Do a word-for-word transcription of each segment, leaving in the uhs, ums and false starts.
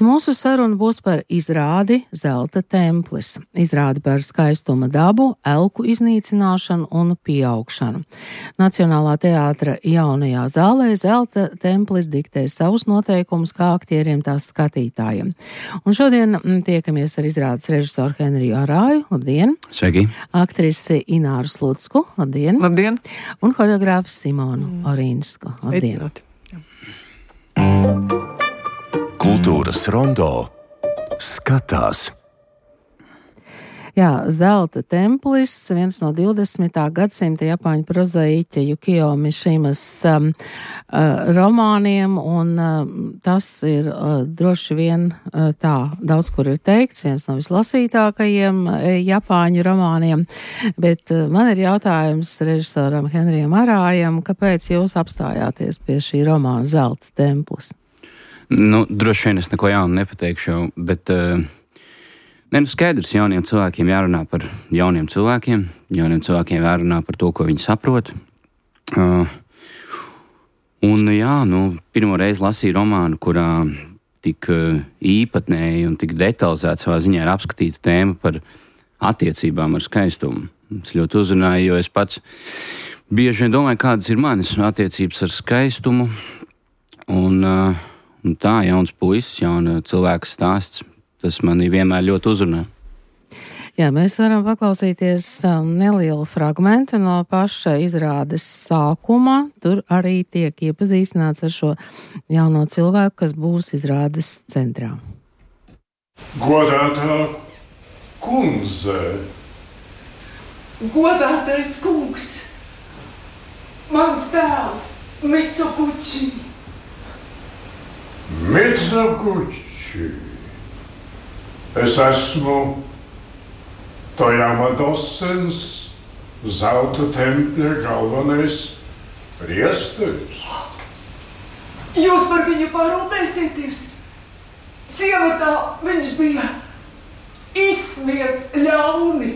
Mūsu saruna būs par izrādi Zelta templis. Izrādi par skaistuma dabu, elku iznīcināšanu un pieaugšanu. Nacionālā teātra jaunajā zālē Zelta templis diktē savus noteikumus kā aktieriem tās skatītājiem. Un šodien tiekamies ar izrādes režisoru Henriju Arāju. Labdien! Sveiki! Aktrisi Ināru Slutsku. Labdien! Labdien! Un horeogrāfu Simonu mm. Orīnsku. Labdien! Sveicināt. Kultūras rondo skatās. Jā, Zelta templis, viens no divdesmitā gadsimta japāņu prozaiķa Jukio Mišimas um, uh, romāniem, un uh, tas ir uh, droši vien uh, tā, daudz kur ir teikts, viens no vislasītākajiem uh, japāņu romāniem, bet uh, man ir jautājums režisoram Henrijam Arājam, kāpēc jūs apstājāties pie šī romāna Zelta templis? Nu, droši vien es neko jaunu nepateikšu, bet uh, ne, nu skaidrs, jauniem cilvēkiem jārunā par jauniem cilvēkiem, jauniem cilvēkiem jārunā par to, ko viņi saprot. Uh, un jā, nu, pirmo reizi lasīju romānu, kurā tik uh, īpatnēji un tik detalizēti savā ziņā ir apskatīta tēma par attiecībām ar skaistumu. Es ļoti uzrunāju, jo es pats bieži vien domāju, kādas ir manas attiecības ar skaistumu, un uh, Un tā, jauns puisis, jauna cilvēka stāsts, tas mani vienmēr ļoti uzrunā. Jā, mēs varam paklausīties nelielu fragmentu no paša izrādes sākuma. Tur arī tiek iepazīstināts ar šo jauno cilvēku, kas būs izrādes centrā. Godātā kundze! Godātais kungs! Mans dēls, Mitsukuči! Mitsukuči, es esmu Tojama Dosens, Zelta tempļa galvenais priesteris. Jūs par viņu parūpēsieties? Ciematā viņš bija izsmiets ļauni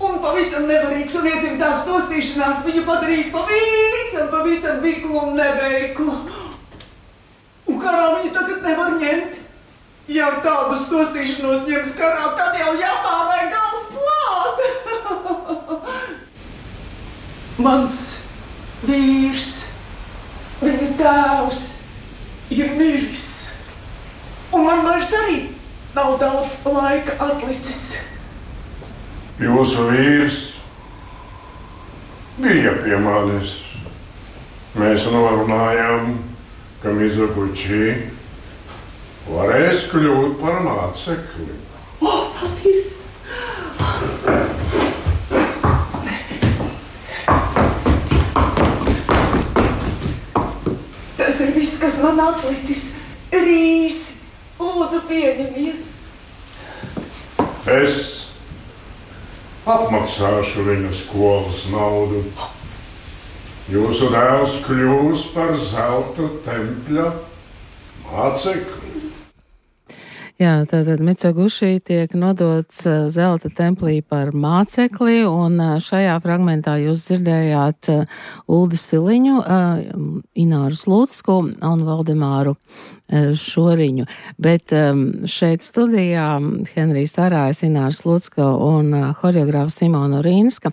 un pavisam nevarīgs, un iedzimtās tostīšanās viņu padarījis pavisam, pavisam viklu un neveiklu. Un karā viņu tagad nevar ņemt. Ja tādu stostīšanos ņems karā, tad jau Japānai gals klāt. Mans vīrs, viņa tēvs, ir miris. Un man vairs arī nav daudz laika atlicis. Jūsu vīrs bija pie manis. Mēs norunājām, ka Mitsukuči varēs kļūt par mācekli. O, paldies! Tas ir viss, kas man atlicis. Rīs, lūdzu pieņemiet. Es apmaksāšu viņu skolas naudu. Jūsu dēls kļūs par Zelta tempļa mācekli. Jā, tātad Mitsukuči tiek nodots Zelta templī par mācekli, un šajā fragmentā jūs dzirdējāt Uldi Siliņu, Ināru Slutsku un Valdemāru Šoriņu. Bet šeit studijā Henrijs Arājs, Ināra Slutska un horeogrāfa Simona Orīnska.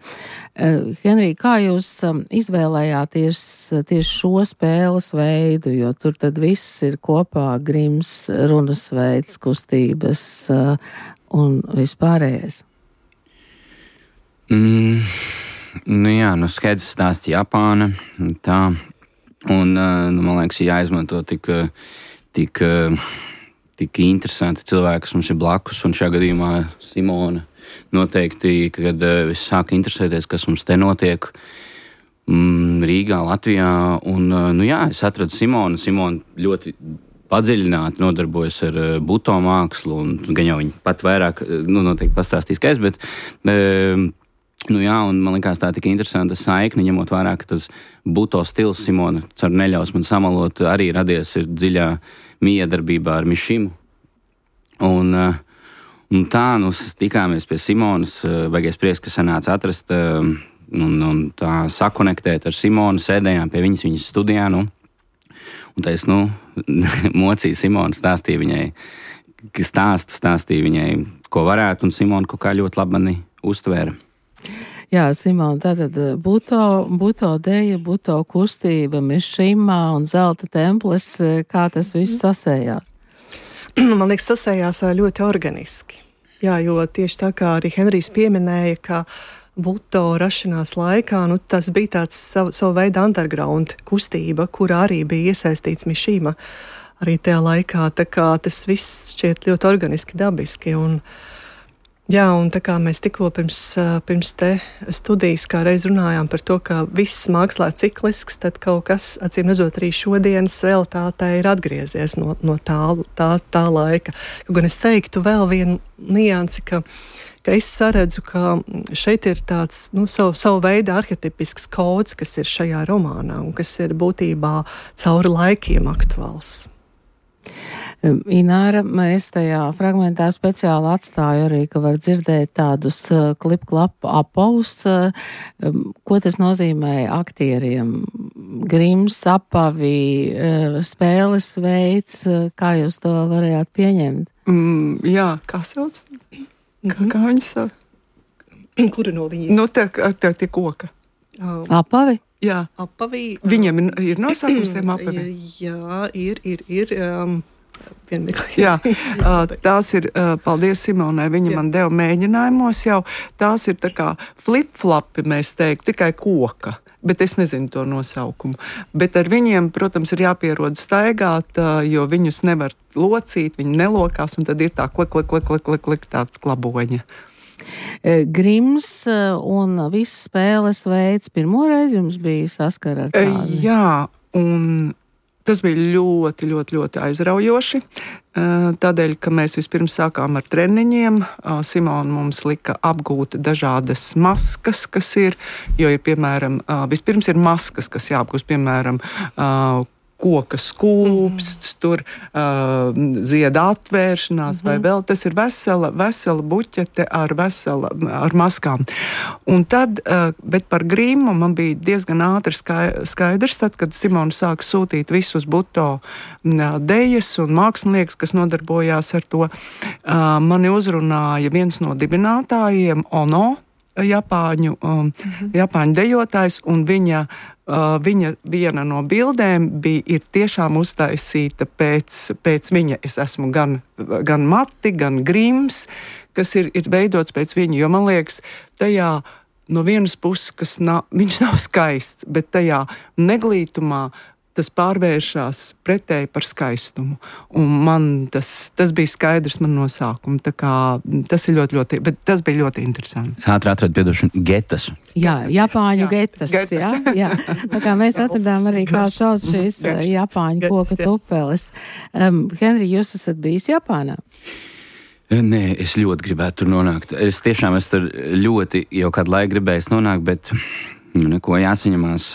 Henrij, kā jūs izvēlējāties tieši šo spēles veidu, jo tur tad viss ir kopā, grims, runas veids, kustības un vispārējais? Mm, nu jā, nu skaidrs stāsts Japāna, tā, un nu, man liekas, jāizmanto tik, tik, tik interesanti cilvēki, kas mums ir blakus, un šajā gadījumā Simona noteikti, kad es sāku interesēties, kas mums te notiek mm, Rīgā, Latvijā, un nu jā, es atradu Simonu, Simona ļoti padziļināti nodarbojas ar buto mākslu, un gan jau viņi pat vairāk, nu noteikti pastāstīs, ka es, bet nu jā, un man likās tā tik interesanta saikne, ņemot vērā, ka tas buto stils Simona, cer neļaus man samalot, arī radies ir dziļā miedarbībā ar Mišimu. Un, un tā, nu, tikāmies pie Simonas, baigais prieks, ka sanāca atrast un, un tā sakonektēt ar Simonu, sēdējām pie viņas, viņas studijā, nu, un tā es, nu, mocīju Simonu, stāstīju viņai, stāstu, stāstīju viņai, ko varētu, un Simona kaut kā ļoti labi mani uztvēra. Jā, Simona, tātad Buto, Buto deja, Buto kustība, Mišima un Zelta templis, kā tas viss sasējās? Man liekas, sasējās ļoti organiski. Jā, jo tieši tā kā arī Henrijs pieminēja, ka Buto rašanās laikā, nu, tas bija tāds savu, savu veidu underground kustība, kurā arī bija iesaistīts Mišima arī tajā laikā, tā kā tas viss šķiet ļoti organiski, dabiski, un jā, un tā kā mēs tikko pirms, pirms te studijas kā reiz runājām par to, ka viss mākslā ir ciklisks, tad kaut kas, acīm redzot, arī šodienas realitātē ir atgriezies no, no tā, tā, tā laika. Kaut gan es teiktu vēl vienu niansi, ka, ka es saredzu, ka šeit ir tāds, nu, savu, savu veidu arhetipisks kods, kas ir šajā romānā un kas ir būtībā cauri laikiem aktuāls. Ināra, es tajā fragmentā speciāli atstāju arī, ka var dzirdēt tādus uh, klip-klap apavus. Uh, ko tas nozīmē aktieriem? Grims, apavi, uh, spēles veids, uh, kā jūs to varējāt pieņemt? Mm, jā, kā sauc? Kā, kā viņi sauc? Kura no viņiem? Nu, tā, tā tie koka. Um, apavi? Jā, apavi. Viņiem ir, ir nosaukums tiem apaviem? Jā, ir, ir, ir. Um, Jā, tās ir, paldies Simonai, viņa Jā. Man deva mēģinājumos jau, tās ir tā kā flip-flapi, mēs teiktu, tikai koka, bet es nezinu to nosaukumu. Bet ar viņiem, protams, ir jāpierod staigāt, jo viņus nevar locīt, viņi nelokās, un tad ir tā klik, klik, klik, klik, klik, klik tāds klaboņa. Grims un viss spēles veids pirmoreiz jums bija saskara ar tādu? Jā, un tas bija ļoti, ļoti, ļoti aizraujoši, tādēļ, ka mēs vispirms sākām ar treniņiem. Simona mums lika apgūt dažādas maskas, kas ir, jo ir, piemēram, vispirms ir maskas, kas jāapgūst, piemēram, koka skūpsts, mm. tur uh, zieda atvēršanās mm-hmm. vai vēl. Tas ir vesela, vesela buķete ar, vesela, ar maskām. Un tad, uh, bet par grimu man bija diezgan ātri skaidrs, tad, kad Simona sāka sūtīt visus Buto dejas un mākslinieks, kas nodarbojās ar to, uh, mani uzrunāja viens no dibinātājiem, Ono, Japāņu, um, mm-hmm. Japāņu dejotājs, un viņa Uh, viņa viena no bildēm bija ir tiešām uztaisīta pēc, pēc viņa. Es esmu gan, gan Mati, gan Grims, kas ir, ir veidots pēc viņa, jo man liekas, tajā no vienas puses, kas nav, viņš nav skaists, bet tajā neglītumā tas pārvēršas pretēji par skaistumu. Un man tas, tas bija skaidrs man no sākuma. Tā kā tas ir ļoti, ļoti, bet tas bija ļoti interesanti. Ātri atradu piedošanu getas. Jā, Japāņu jā. getas, getas. Jā, jā. Tā kā mēs atradām arī, kā sauc šīs Garš. Japāņu koka tupeles. Um, Henri, jūs esat bijis Japānā? Nē, es ļoti gribētu tur nonākt. Es tiešām es tur ļoti jau kādu laiku gribējis nonākt, bet nu, neko jāsaņemās.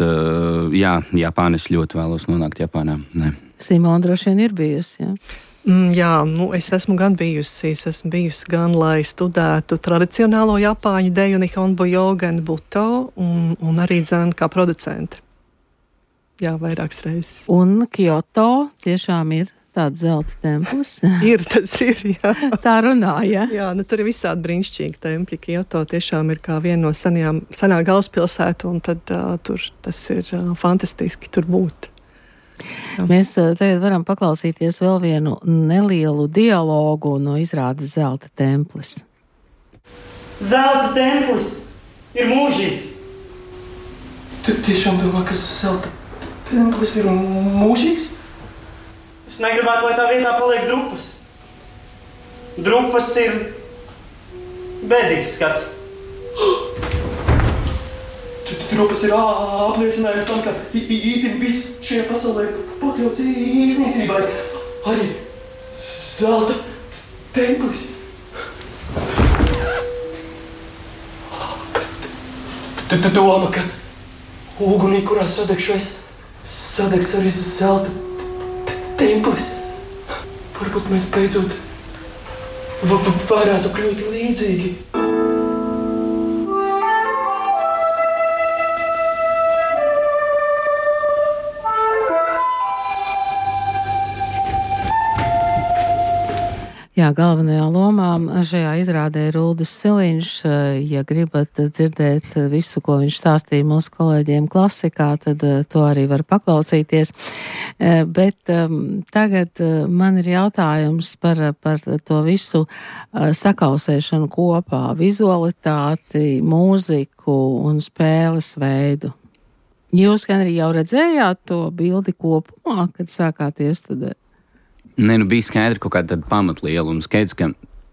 Jā, Japāna, es ļoti vēlos nonākt Japānā. Nē. Simona droši vien ir bijusi, jā? Mm, jā, nu, es esmu gan bijusi, es esmu bijusi gan, lai studētu tradicionālo Japāņu deju, Nihonbujo, gan Buto, un, un arī dzēn kā producente. Jā, vairākas reizes. Un Kyoto tiešām ir tāds zelta templis. Ir, tas ir, jā. Tā runā, jā? Jā, nu tur ir visādi brīnišķīgi tempļi. Kyoto tiešām ir kā viena no senajām, senā galvaspilsētu, un tad uh, tur tas ir uh, fantastiski tur būt. Jā. Mēs uh, tagad varam paklausīties vēl vienu nelielu dialogu no izrādes Zelta templis. Zelta templis ir mūžīgs. Tu tiešām domā, ka Zelta templis ir mūžīgs? Es negribētu, lai tā vietā paliek drupas. Drupas ir bēdīgs skats. Drupas ir apliecinājums tam, ka ītim viss šajā pasaulē pakļauts iznīcībai. Arī Zelta templis. Tu, tu domā, ka ugunī, kurā sadegšu es, sadegs arī Zelta templis. Varbūt mēs beidzot v- v- varētu kļūt līdzīgi. Jā, galvenajā lomā šajā izrādē ir Uldis Siliņš. Ja gribat dzirdēt visu, ko viņš stāstīja mūsu kolēģiem klasikā, tad to arī var paklausīties. Bet um, tagad man ir jautājums par, par to visu sakausēšanu kopā, vizualitāti, mūziku un spēles veidu. Jūs, Henri, jau redzējāt to bildi kopumā, kad sākāt iestudēt? Nē, nu bija skaidri kaut kāda pamatliela un skaidrs, ka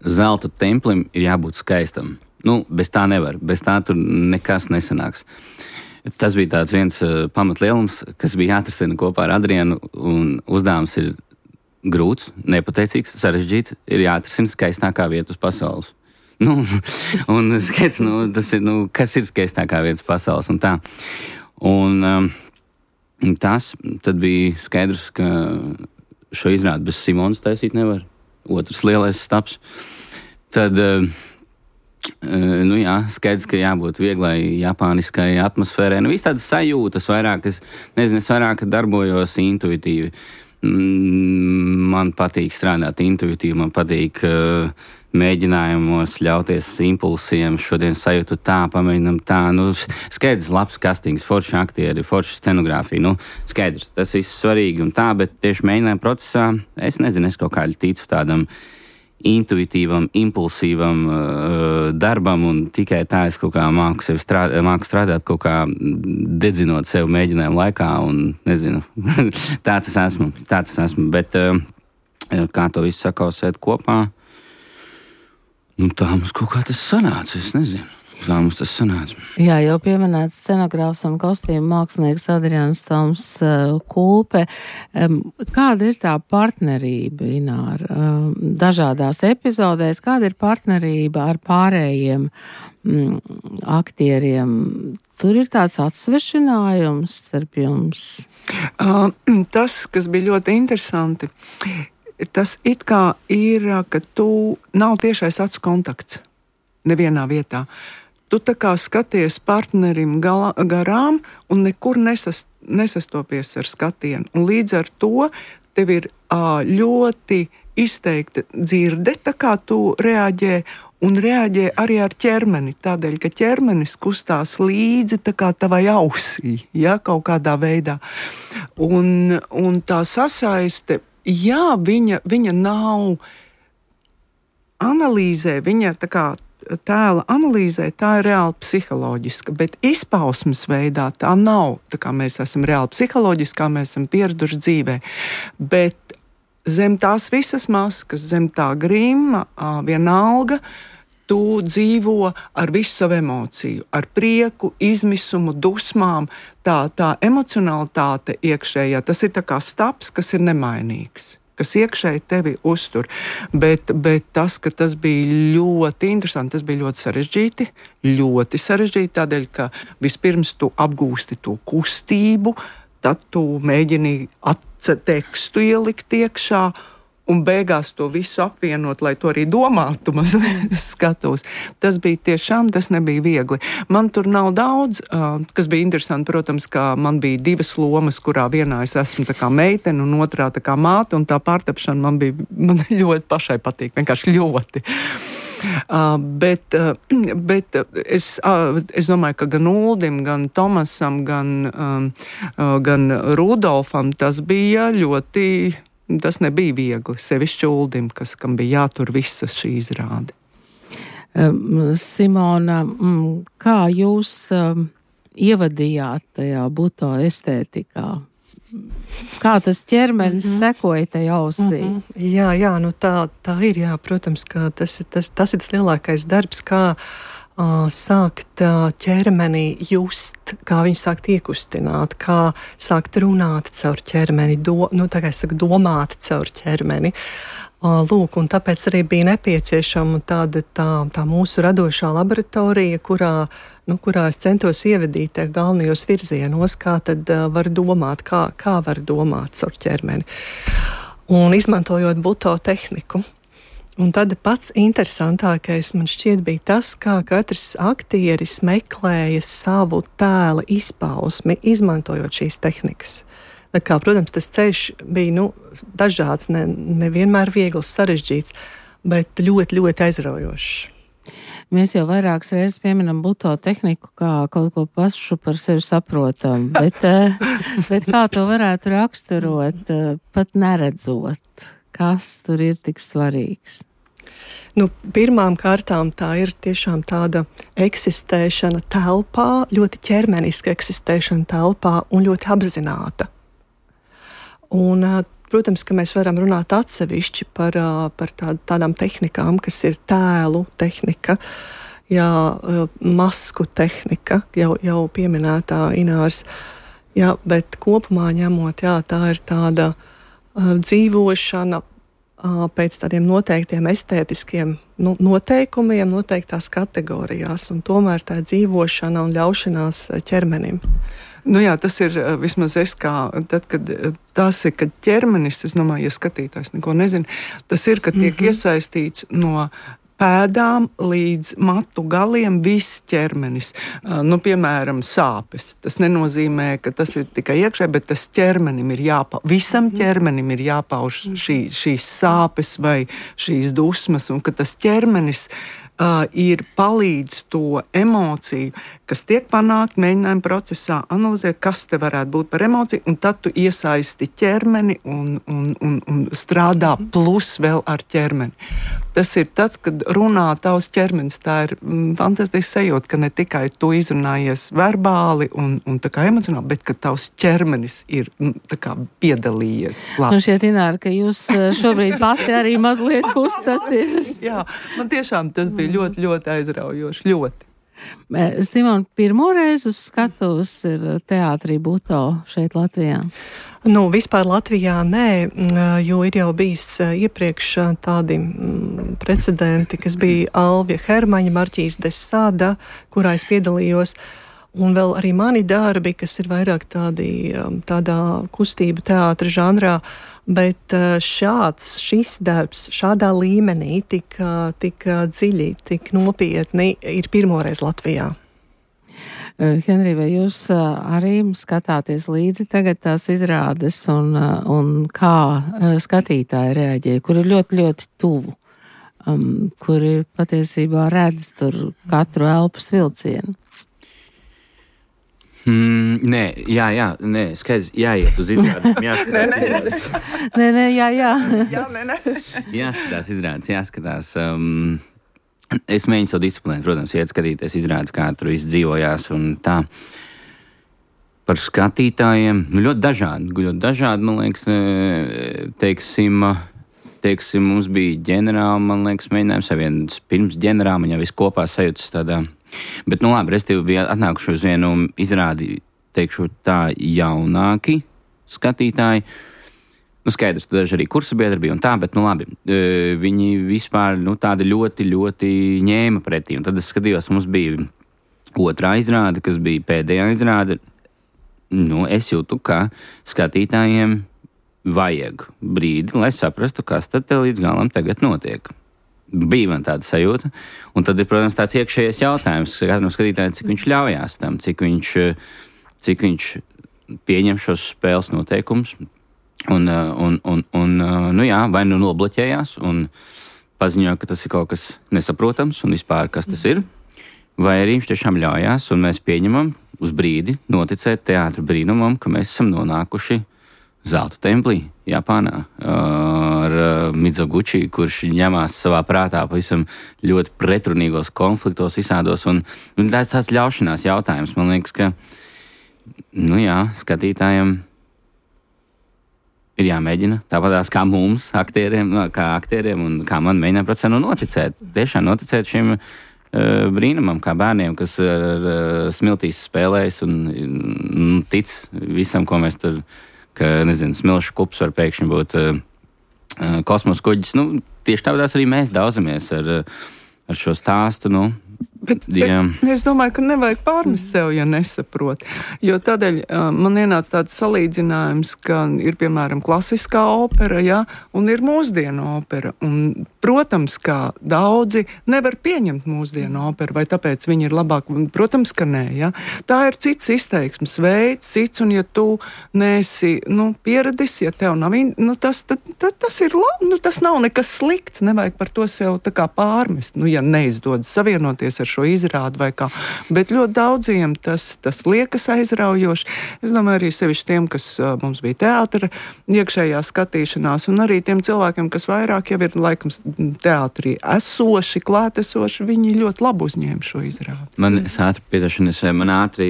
zelta templim ir jābūt skaistam. Nu, bez tā nevar, bez tā tur nekas nesanāks. Tas bija tāds viens uh, pamatlielums, kas bija jāatrisina kopā ar Adrienu, un uzdevums ir grūts, nepateicīgs, sarežģīts, ir jāatrisina skaistākā vieta uz pasaules. Nu, un skaidrs, nu, tas ir, nu, kas ir skaistākā vieta uz pasaules un tā. Un um, tas tad bija skaidrs, ka šo izrādi bez Simonas taisīt nevar. Otrs lielais staps. Tad, uh, nu jā, skaidrs, ka jābūt vieglai japāniskai atmosfērai. Nu, viss tādas sajūtas vairāk, es nezinu, es vairāk darbojos intuitīvi. Man patīk strādāt intuitīvi, man patīk uh, mēģinājumos ļauties impulsiem, šodien sajūtu tā, pamēģinam tā, nu, skaidrs, labs kastings, forši aktieri, forši scenogrāfija, nu, skaidrs, tas viss svarīgi un tā, bet tieši mēģinājuma procesā, es nezinu, es kaut kā ticu tādam intuitīvam, impulsīvam uh, darbam, un tikai tā es kaut kā māku sevi strādāt, māku strādāt kaut kā dedzinot sevi mēģinājumu laikā, un nezinu, tā tas esmu, tā tas esmu, bet uh, kā to visu sakausēt kopā, nu tā mums kaut kā tas sanāca, es nezinu. Tā mums tas sanāca. Jā, jau pieminēts scenogrāfs un kostīmu mākslinieks Adrians Toms uh, Kulpe. Um, kāda ir tā partnerība, Ināra? Um, dažādās epizodēs, kāda ir partnerība ar pārējiem mm, aktieriem? Tur ir tāds atsvešinājums starp jums? Uh, tas, kas bija ļoti interesanti, tas it kā ir, ka tu nav tiešais acu kontakts nevienā vietā. Tu tā kā skaties partnerim galā, garām un nekur nesas, nesastopies ar skatienu. Un līdz ar to tev ir ā, ļoti izteikta dzirde, tā kā tu reaģē, un reaģē arī ar ķermeni, tādēļ, ka ķermenis kustās līdzi tā kā tavai ausī, ja, kaut kādā veidā. Un, un tā sasaiste, jā, viņa, viņa nav analīzē, viņa tā kā tēla analīzē, tā ir reāli psiholoģiska, bet izpausmes veidā tā nav. Tā kā mēs esam reāli psiholoģiski, kā mēs esam pieraduši dzīvē. Bet zem tās visas maskas, zem tā grima, vienalga, tu dzīvo ar visu savu emociju, ar prieku, izmisumu, dusmām. Tā, tā emocionalitāte iekšējā, tas ir tā kā staps, kas ir nemainīgs, kas iekšēji tevi uztur. Bet, bet tas, ka tas bija ļoti interesanti, tas bija ļoti sarežģīti, ļoti sarežģīti, tādēļ, ka vispirms tu apgūsti to kustību, tad tu mēģini tekstu ielikt iekšā, un beigās to visu apvienot, lai to arī domātu, mazliet skatos. Tas bija tiešām, tas nebija viegli. Man tur nav daudz, uh, kas bija interesanti, protams, ka man bija divas lomas, kurā vienā es esmu tā kā meitene un otrā tā kā māte, un tā pārtapšana man bija, man ļoti pašai patīk, vienkārši ļoti. Uh, bet uh, bet es, uh, es domāju, ka gan Uldim, gan Tomasam, gan, um, uh, gan Rudolfam tas bija ļoti... Tas nebija viegli, sevišķi Uldim, kas, kam bija jātur visas šī izrāde. Um, Simona, mm, kā jūs um, ievadījāt tajā buto estētikā? Kā tas ķermenis mm-hmm. sekoja tajā ausī? Mm-hmm. Jā, jā, nu tā, tā ir, jā, protams, ka tas, tas, tas ir tas lielākais darbs, kā Uh, sākt uh, ķermeni just, kā viņu sākt iekustināt, kā sākt runāt caur ķermeni, do, nu, tā kā es saku, domāt caur ķermeni. Uh, lūk, un tāpēc arī bija nepieciešama tāda tā, tā mūsu radošā laboratorija, kurā, nu, kurā es centos ievedīt galvenajos virzienos, kā tad uh, var domāt, kā, kā var domāt caur ķermeni. Un izmantojot buto tehniku. Un tad pats interesantākais man šķiet bija tas, kā katrs aktieris meklēja savu tēla izpausmi, izmantojot šīs tehnikas. Tā kā, protams, tas ceļš bija nu, dažāds, ne, nevienmēr viegls, sarežģīts, bet ļoti, ļoti aizraujošs. Mēs jau vairākas reizes pieminam buto tehniku kā kaut ko pašu par sevi saprotam, bet, bet kā to varētu raksturot, pat neredzot, kas tur ir tik svarīgs? Nu, pirmām kārtām tā ir tiešām tāda eksistēšana telpā, ļoti ķermeniska eksistēšana telpā un ļoti apzināta. Un, protams, ka mēs varam runāt atsevišķi par, par tād, tādām tehnikām, kas ir tēlu tehnika, jā, masku tehnika, jau, jau pieminētā Ināras, jā, bet kopumā ņemot, jā, tā ir tāda uh, dzīvošana pēc tādiem noteiktiem estētiskiem nu, noteikumiem, noteiktās kategorijās, un tomēr tā dzīvošana un ļaušanās ķermenim. Nu jā, tas ir vismaz es kā, tad, kad tas ir, kad ķermenis, es domāju, ja skatītājs neko nezina, tas ir, kad tiek mm-hmm. iesaistīts no pēdām līdz matu galiem viss ķermenis. Uh, nu, piemēram, sāpes. Tas nenozīmē, ka tas ir tikai iekšē, bet tas ķermenim ir jāpauž. Visam ķermenim ir jāpauž šī, šīs sāpes vai šīs dusmas, un ka tas ķermenis Uh, ir palīdz to emociju, kas tiek panākt mēģinājuma procesā, analizēt, kas te varētu būt par emociju, un tad tu iesaisti ķermeni un, un, un, un strādā plus vēl ar ķermeni. Tas ir tas, kad runā tavs ķermenis, tā ir mm, fantastiski sajūta, ka ne tikai tu izrunājies verbāli un, un tā kā emocionāli, bet ka tavs ķermenis ir mm, tā kā piedalījies. Nu šķiet, Ināra, ka jūs šobrīd pati arī mazliet kustaties. Jā, man tiešām tas bija ļoti, ļoti aizraujoši, ļoti. Simona, pirmo reizi uz skatuves ir teātrī Buto šeit Latvijā? Nu, vispār Latvijā nē, jo ir jau bijis iepriekš tādi precedenti, kas bija Alvija Hermaņa, Marķīs de Sāda, kurā es piedalījos, un vēl arī mani darbi, kas ir vairāk tādi, tādā kustību teātra žanrā, bet šāds, šis darbs, šādā līmenī tik, tik dziļi, tik nopietni ir pirmoreiz Latvijā. Henrij, vai jūs arī skatāties līdzi tagad tās izrādes un, un kā skatītāji reaģē, kur ir ļoti, ļoti tuvu, um, kuri patiesībā redz tur katru elpas vilcienu? Mm, nē, jā, jā, nē, skaidrs, jāiet uz izrādēm, jāskatās. Nē, nē, jā, jā. Jā, nē, nē. Jāskatās izrādes, jāskatās. Um, es mēģinu savu disciplīnu, protams, iet skatīties izrādes, kā tur viss dzīvojās un tā. Par skatītājiem, nu ļoti dažādi, ļoti dažādi, man liekas, teiksim, teiksim, mums bija ģenerāli, man liekas, mēģinājums vai viens pirms ģenerāli, man jau viss kopā sajūtas tādā. Bet, nu labi, restīvi bija atnākuši uz vienu izrādi, teikšu tā, jaunāki skatītāji. Nu, skaidrs, tu daži arī kursa biedri bija un tā, bet, nu labi, viņi vispār, nu, tādi ļoti, ļoti ņēma pretī. Un tad es skatījos, mums bija otrā izrāde, kas bija pēdējā izrāde. Nu, es jūtu, ka skatītājiem vajag brīdi, lai saprastu, kas tad te līdz galam tagad notiek. Bija man tāda sajūta, un tad ir, protams, tāds iekšējais jautājums, katram skatītājiem, cik viņš ļaujās tam, cik viņš, cik viņš pieņem šos spēles noteikumus, un, un, un, un nu jā, vai nu nobloķējās, un paziņoja, ka tas ir kaut kas nesaprotams, un vispār, kas tas ir, vai arī viņš tiešām ļaujās, un mēs pieņemam uz brīdi noticēt teātra brīnumam, ka mēs esam nonākuši Zelta templī, Japānā, ar Mizoguchi, kurš ņemās savā prātā pavisam ļoti pretrunīgos konfliktos visādos, un, un tāds tāds ļaušanās jautājums. Man liekas, ka, nu jā, skatītājiem ir jāmēģina, tāpatās kā mums, aktieriem, kā aktieriem, un kā man mēģināt procesā nu noticēt, tiešām noticēt šim uh, brīnumam, kā bērniem, kas ar uh, smiltīs spēlējas un, un tic visam, ko mēs tur ka, nezinu, smilšu kups var pēkšņi būt uh, kosmosa kuģis. Nu, tieši tāpēc arī mēs daudzamies ar, ar šo stāstu, nu, Bet, bet es domāju, ka nevajag pārmest sev, ja nesaprot. Jo tādēļ uh, man ienāca tāds salīdzinājums, ka ir, piemēram, klasiskā opera, ja, un ir mūsdienu opera. Un, protams, ka daudzi nevar pieņemt mūsdienu operu, vai tāpēc viņi ir labāk. Protams, ka nē, ja. Tā ir cits izteiksmes veids, cits, un ja tu neesi, nu, pieradis, ja tev nav, nu, tas, tad, tad, tas ir labi, nu, tas nav nekas slikts, nevajag par to sev tā kā pārmest, nu, ja neizdodas savienoties ar šo izrādi vai kā. Bet ļoti daudziem tas, tas liekas aizraujoši. Es domāju, arī sevišķi tiem, kas uh, mums bija teātra iekšējā skatīšanās, un arī tiem cilvēkiem, kas vairāk jau ir laikam teātrī esoši, klātesoši, viņi ļoti labi uzņēma šo izrādi. Man es ātri piedošanas, man ātri,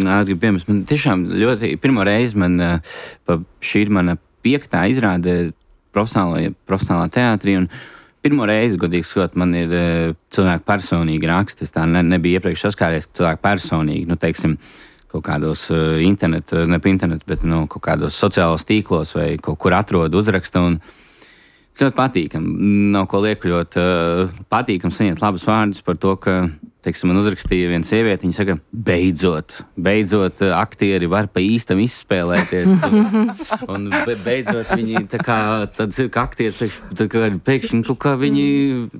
ātri piemērs, man tiešām ļoti, pirmo reizi man, pa šī ir mana piektā izrāde profesionālā, profesionālā teātrī, un pirmo reizi, godīgi sakot, man ir uh, cilvēki personīgi raksti. Es tā ne, nebija iepriekš saskāries, ka cilvēki personīgi, nu, teiksim, kaut kādos uh, internetu, ne pa internetu, bet, nu, kaut kādos sociālos tīklos vai kaut kur atrod uzraksta, un ļoti patīkam. Nav ko liekļot, uh, patīkam saņemt labus vārdus par to, ka, teiksim, man uzrakstīja viena sieviete, viņa saka, beidzot, beidzot aktieri var pa īstam izspēlēties. un, un beidzot viņi tā kā, tad aktieri tā kā pēkšņi, kaut kā viņi,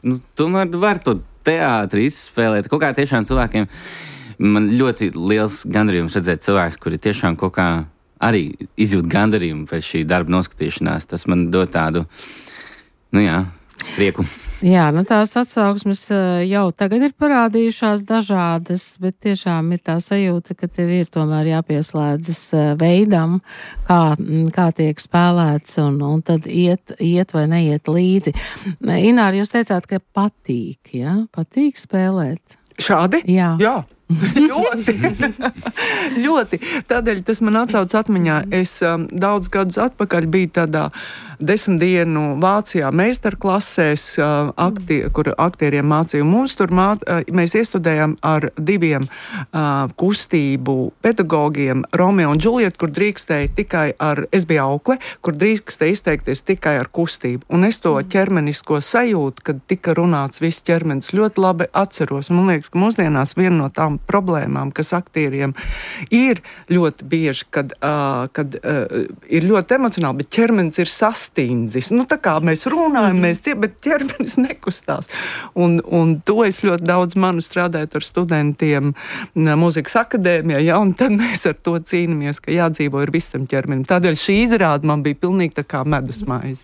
nu, tomēr var to teātri izspēlēt. Kaut kā tiešām cilvēkiem, man ļoti liels gandarījums redzēt cilvēks, kuri tiešām kaut kā arī izjūt gandarījumu pēc šī darba noskatīšanās. Tas man dod tādu, nu jā, prieku. Jā, nu tās atsauksmes jau tagad ir parādījušās dažādas, bet tiešām ir tā sajūta, ka tev ir tomēr jāpieslēdzas veidam, kā, kā tiek spēlēts, un, un tad iet, iet vai neiet līdzi. Ināra, jūs teicāt, ka patīk, jā? Patīk spēlēt? Šādi? Jā. Jā. ļoti, ļoti. Tādēļ tas man atsauc atmiņā. Es um, daudz gadus atpakaļ biju tādā desmit dienu Vācijā meistarklasēs, uh, aktie, kur aktieriem mācīja. Mums tur māt, uh, mēs iestudējām ar diviem uh, kustību pedagogiem, Romeo un Džulietu, kur drīkstēja tikai ar, es biju aukle, kur drīkstēja izteikties tikai ar kustību. Un es to ķermenisko sajūtu, kad tika runāts viss ķermenis, ļoti labi atceros. Man liekas, ka mūsdienās viena no tām problēmām, kas aktieriem ir ļoti bieži, kad, uh, kad uh, ir ļoti emocionāli, bet ķermenis ir sastindzis. Nu, tā kā mēs runājam, mm-hmm. mēs tie, bet ķermenis nekustās. Un, un to es ļoti daudz manu strādājot ar studentiem mūzikas akadēmijā, ja, un tad mēs ar to cīnāmies, ka jādzīvo ir visam ķermenim. Tādēļ šī izrāde man bija pilnīgi tā kā medus maize.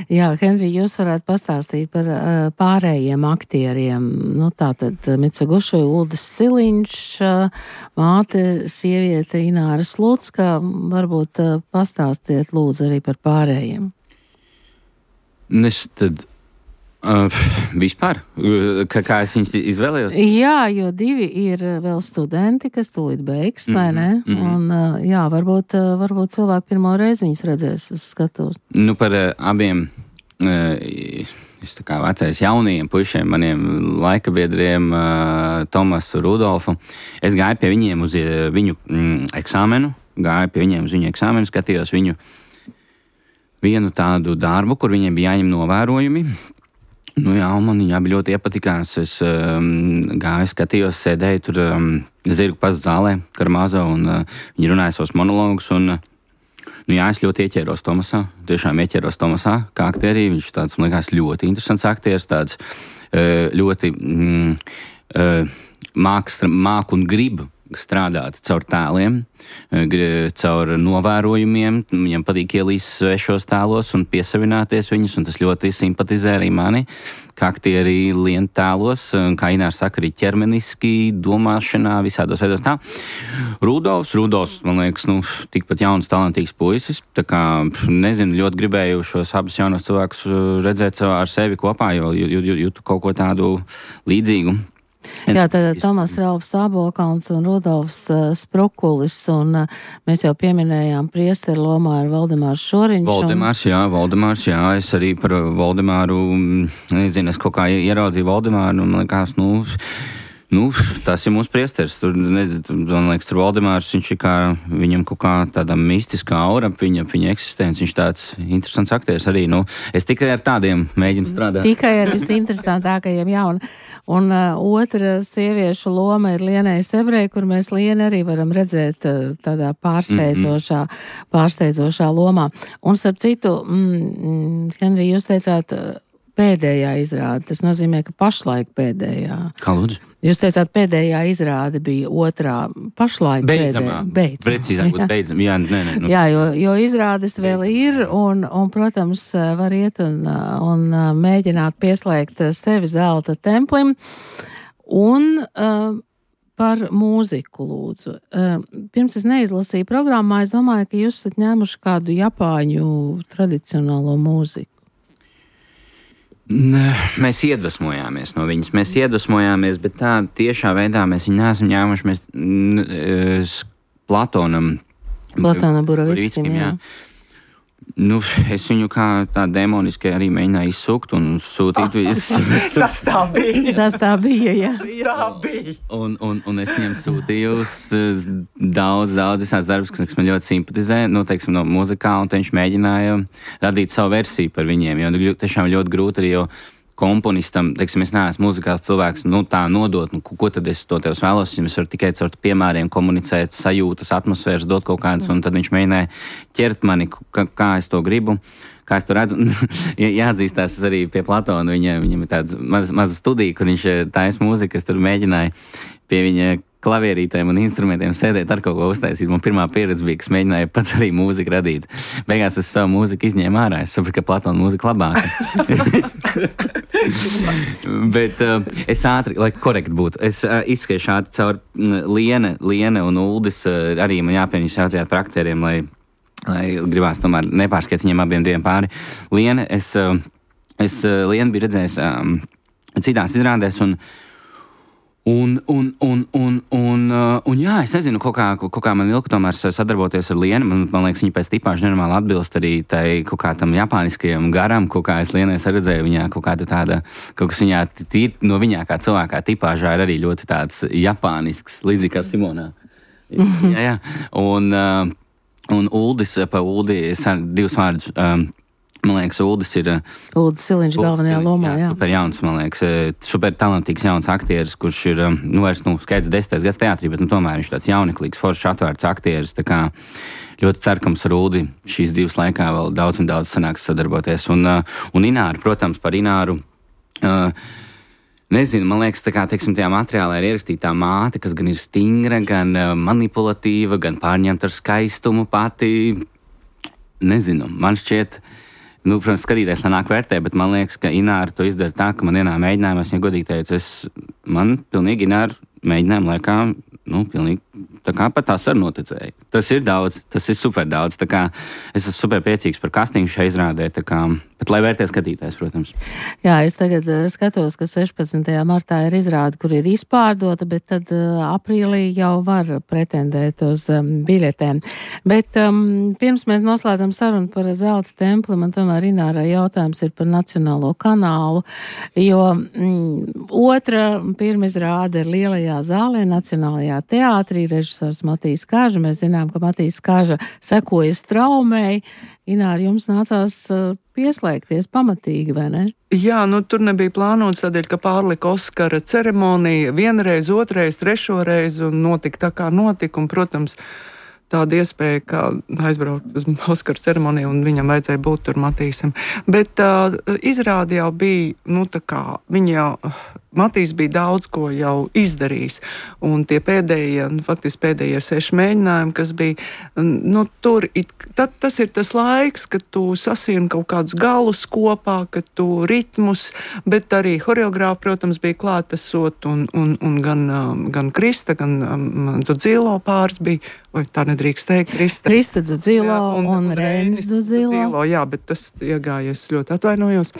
Jā, Henri, jūs varētu pastāstīt par uh, pārējiem aktieriem. Nu, tātad Mitsuguši, Uldis Siliņš, uh, māte, sieviete Ināra Slucka. Varbūt uh, pastāstiet lūdzu arī par pārējiem. Es tad uh, vispār, kā, kā es viņus izvēlējos? Jā, jo divi ir vēl studenti, kas tūlīt beigs, mm-hmm, vai ne? Mm-hmm. Un uh, jā, varbūt, uh, varbūt cilvēki pirmo reizi viņus redzēs uz skatuves. Nu, par uh, abiem, uh, es tā kā vecais jaunajiem pušiem, maniem laikabiedriem, uh, Tomasu, Rudolfu, es gāju pie viņiem uz uh, viņu mm, eksāmenu, gāju pie viņiem uz viņu eksāmenu, skatījos viņu vienu tādu darbu, kur viņiem bija jāņem novērojumi. Nu jā, man viņa abi ļoti iepatikās. Es um, gāju, skatījos, sēdēju tur um, zirgu pastu zālē, Karamāzo, un uh, viņi runāja savus monologus, un uh, nu jā, es ļoti ieķēros Tomasā, tiešām ieķēros Tomasā, kā aktierī. Viņš tāds, man liekas, ļoti interesants aktieris, tāds uh, ļoti mm, uh, māk, māk un grib strādāt caur tēliem, caur novērojumiem. Viņam patīk ielīst svešos tēlos un piesavināties viņus, un tas ļoti simpatizē arī mani, kā aktieri lien tēlos, kā Ināra saka, arī ķermeniski, domāšanā, visādos veidos tā. Rudolfs, Rudolfs, man liekas, nu, tikpat jauns, talantīgs puisis, tā kā, nezinu, ļoti gribēju šos abus jaunos cilvēkus redzēt ar sevi kopā, jo jūtu kaut ko tādu līdzīgu. Jā, tad Tomas Ralfs Ābolkauns un Rudolfs uh, Sprukulis, un uh, mēs jau pieminējām priesteru lomā ar Valdemārs Šoriņš. Valdemārs, un... jā, Valdemārs, jā, es arī par Valdemāru, nezinu, es kaut kā ieraudzīju Valdemāru, un man likās, nu, Nu, tas ir mūsu priesteris. Tur, nezinu, man liekas, tur Valdemārs, viņš ir kā, viņam kaut kā tāda mistiskā aura, viņa, viņa eksistence, viņš tāds interesants aktieris arī. Nu, es tikai ar tādiem mēģinu strādāt. Tikai ar visinteresantākajiem, jā. Un, un uh, otra sieviešu loma ir Lienai Sebrei, kur mēs Lienu arī varam redzēt uh, tādā pārsteidzošā, mm-hmm. pārsteidzošā lomā. Un, starp citu, mm, Henri, jūs teicāt, uh, pēdējā izrāde. Tas nozīmē, ka pašlaik pēdējā. Kā lūdzu? Jūs teicāt, pēdējā izrāde bija otrā, pašlaik beidzamā. pēdējā. Beidzamā. Precīzāk būt beidzamā. Jā, nē, nē. Nu. Jā, jo, jo izrādes vēl ir un, un, protams, var iet un, un mēģināt pieslēgt sevi zelta templim. Un uh, par mūziku lūdzu. Uh, pirms es neizlasīju programmā, es domāju, ka jūs esat ņēmuši kādu japāņu tradicionālo mūziku. Mēs iedvesmojāmies no viņas. Mēs iedvesmojāmies, bet tā tiešā veidā mēs viņu neesam ņēmuši. Mēs n, Platonam. Platonam Burovickim, jā. Nu, es viņu kā tā demoniski arī mēģināju izsukt un sūtīt visu. Tas tā bija. Tas tā bija, jā. Tā bija. Un, un, un es viņam sūtīju daudz, daudz visāds darbus, kas man ļoti simpatizē, nu, teiksim, no muzikā, un viņš mēģināja radīt savu versiju par viņiem, jo tiešām ļoti grūti arī, jo komponistam, teiksim, es neesmu muzikāls cilvēks, nu, tā nodot, nu, ko tad es to tevs vēlos, es varu tikai caur piemēriem komunicēt, sajūtas, atmosfēras, dot kaut kādas, un tad viņš mēģināja ķert mani, kā, kā es to gribu, kā es to redzu. Jāatzīstās arī pie Platona, viņa, viņam ir tāda maza, maza studija, kur viņš taisa mūziku, es tur mēģināju pie viņa klavierītēm un instrumentiem sēdēt ar kaut ko uztaisīt. Man pirmā pieredze bija, kas mēģināja pats arī mūziku radīt. Beigās es savu mūziku izņēmu ārā, es sapratu, ka Platona mūzika labāka. Bet uh, es ātri, lai korekti būtu, es uh, izskaiešu ātri caur uh, Liene, Liene un Uldis, uh, arī man jāpieņas jautājāt par aktieriem, lai, lai gribās tomēr nepārskiet viņiem abiem diviem pāri. Liene, es, uh, es uh, Lienu biju redzējis um, citās izrādēs un Un, un, un, un, un, un jā, es nezinu, kaut kā, kaut kā man vilka tomēr sadarboties ar Lienu. Man, man liekas, viņa pēc tipāžu nenormāli atbilst arī tai kaut kā tam japāniskajam garam, kaut kā es Lienai saredzēju viņā kaut kāda tāda, kaut kas viņā tīri no viņā kā cilvēkā tipāžā ir arī ļoti tāds japānisks, līdzīgi kā Simonā. Mm-hmm. Jā, jā. Un, un Uldis, pa Uldi, divus vārdus. Um, Man liekas, Uldis ir... Uldis Siliņš galvenajā lomā, jā. Super jauns, man liekas, super talantīgs jauns aktieris, kurš ir, nu, vairs, nu, skaidrs desmitais gads teātrī, bet, nu, tomēr viņš tāds jauneklīgs, foršs atvērts aktieris, tā kā ļoti cerkams ar Uldi šīs divas laikā vēl daudz un daudz sanāks sadarboties. Un, un Ināru, protams, par Ināru, uh, nezinu, man liekas, tā kā, teiksim, tajā materiālā ir ierakstīta tā māte, kas gan ir stingra, gan uh, manipulatīva, gan pārņemta ar skaistumu pati. Nezinu, man šķiet... Nu, protams, skatīties, lai nāk vērtē, bet man liekas, ka Ināra to izdara tā, ka man vienā mēģinājumā, es viņai godīgi teicu, es, man pilnīgi Ināra mēģinājumu laikā, nu, pilnīgi tā kā pat tās ar noticēju. Tas ir daudz, tas ir super daudz, tā kā es esmu super priecīgs par kastīnu šai izrādē, tā kā, bet lai vērtē skatītājs, protams. Jā, es tagad uh, skatos, ka sešpadsmitajā martā ir izrāde, kur ir izpārdota, bet tad uh, aprīlī jau var pretendēt uz um, biļetēm. Bet um, pirms mēs noslēdzam sarunu par zelta templi, man tomēr Inārai jautājums ir par Nacionālo kanālu, jo mm, otra pirmizrāde ir Lielajā zālē, Nacionālajā teātrī, režisors Matīs Kaža. Mēs zinām, ka Matīs Kaža sekoja straumei. Ināra, jums nācās uh, pieslēgties pamatīgi, vai ne? Jā, nu tur nebija plānots tādēļ, ka pārlika Oskara ceremonija vienreiz, otrais, trešoreiz un notika tā kā notika. Un, protams, tāda iespēja, kā aizbraukt uz Oskara ceremoniju un viņam vajadzēja būt tur Matīsam. Bet uh, izrādi jau bija, nu tā kā, viņa jau... Matīs bija daudz ko jau izdarījis, un tie pēdējie, nu, faktiski pēdējie seši mēģinājumi, kas bija, nu, tur, it, tad, tas ir tas laiks, kad tu sasieni kaut kādus galus kopā, kad tu ritmus, bet arī horeogrāfi, protams, bija klātesot, un, un, un gan, gan Krista, gan um, Dzudzilo pāris bija, vai tā nedrīkst teikt, Krista. Krista Dzudzilo un, un Reinis Dzudzilo. Jā, bet tas iegājies ļoti atvainojos,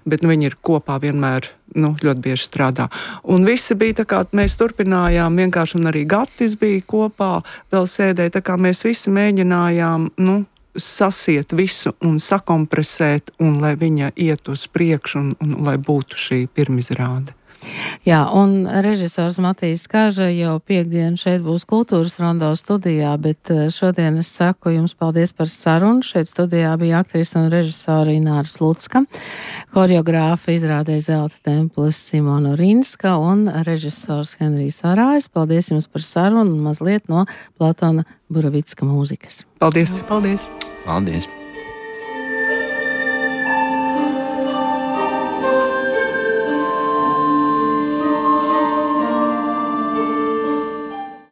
bet nu, viņi ir kopā vienmēr, nu, ļoti bieži strādā. Un visi bija tā kā, mēs turpinājām vienkārši, un arī Gatis bija kopā, vēl sēdēja, tā kā mēs visi mēģinājām, nu, sasiet visu un sakompresēt, un lai viņa iet uz priekšu, un, un lai būtu šī pirmizrāde. Jā, un režisors Matīs Kāža jau piekdien šeit būs Kultūras rondo studijā, bet šodien es saku jums paldies par sarunu. Šeit studijā bija aktrise un režisora Ināra Slucka, choreogrāfa izrādē Zelta templis Simona Rinska un režisors Henrijs Arājs. Paldies jums par sarunu un mazliet no Platona Buravicka mūzikas. Paldies! Paldies! Paldies!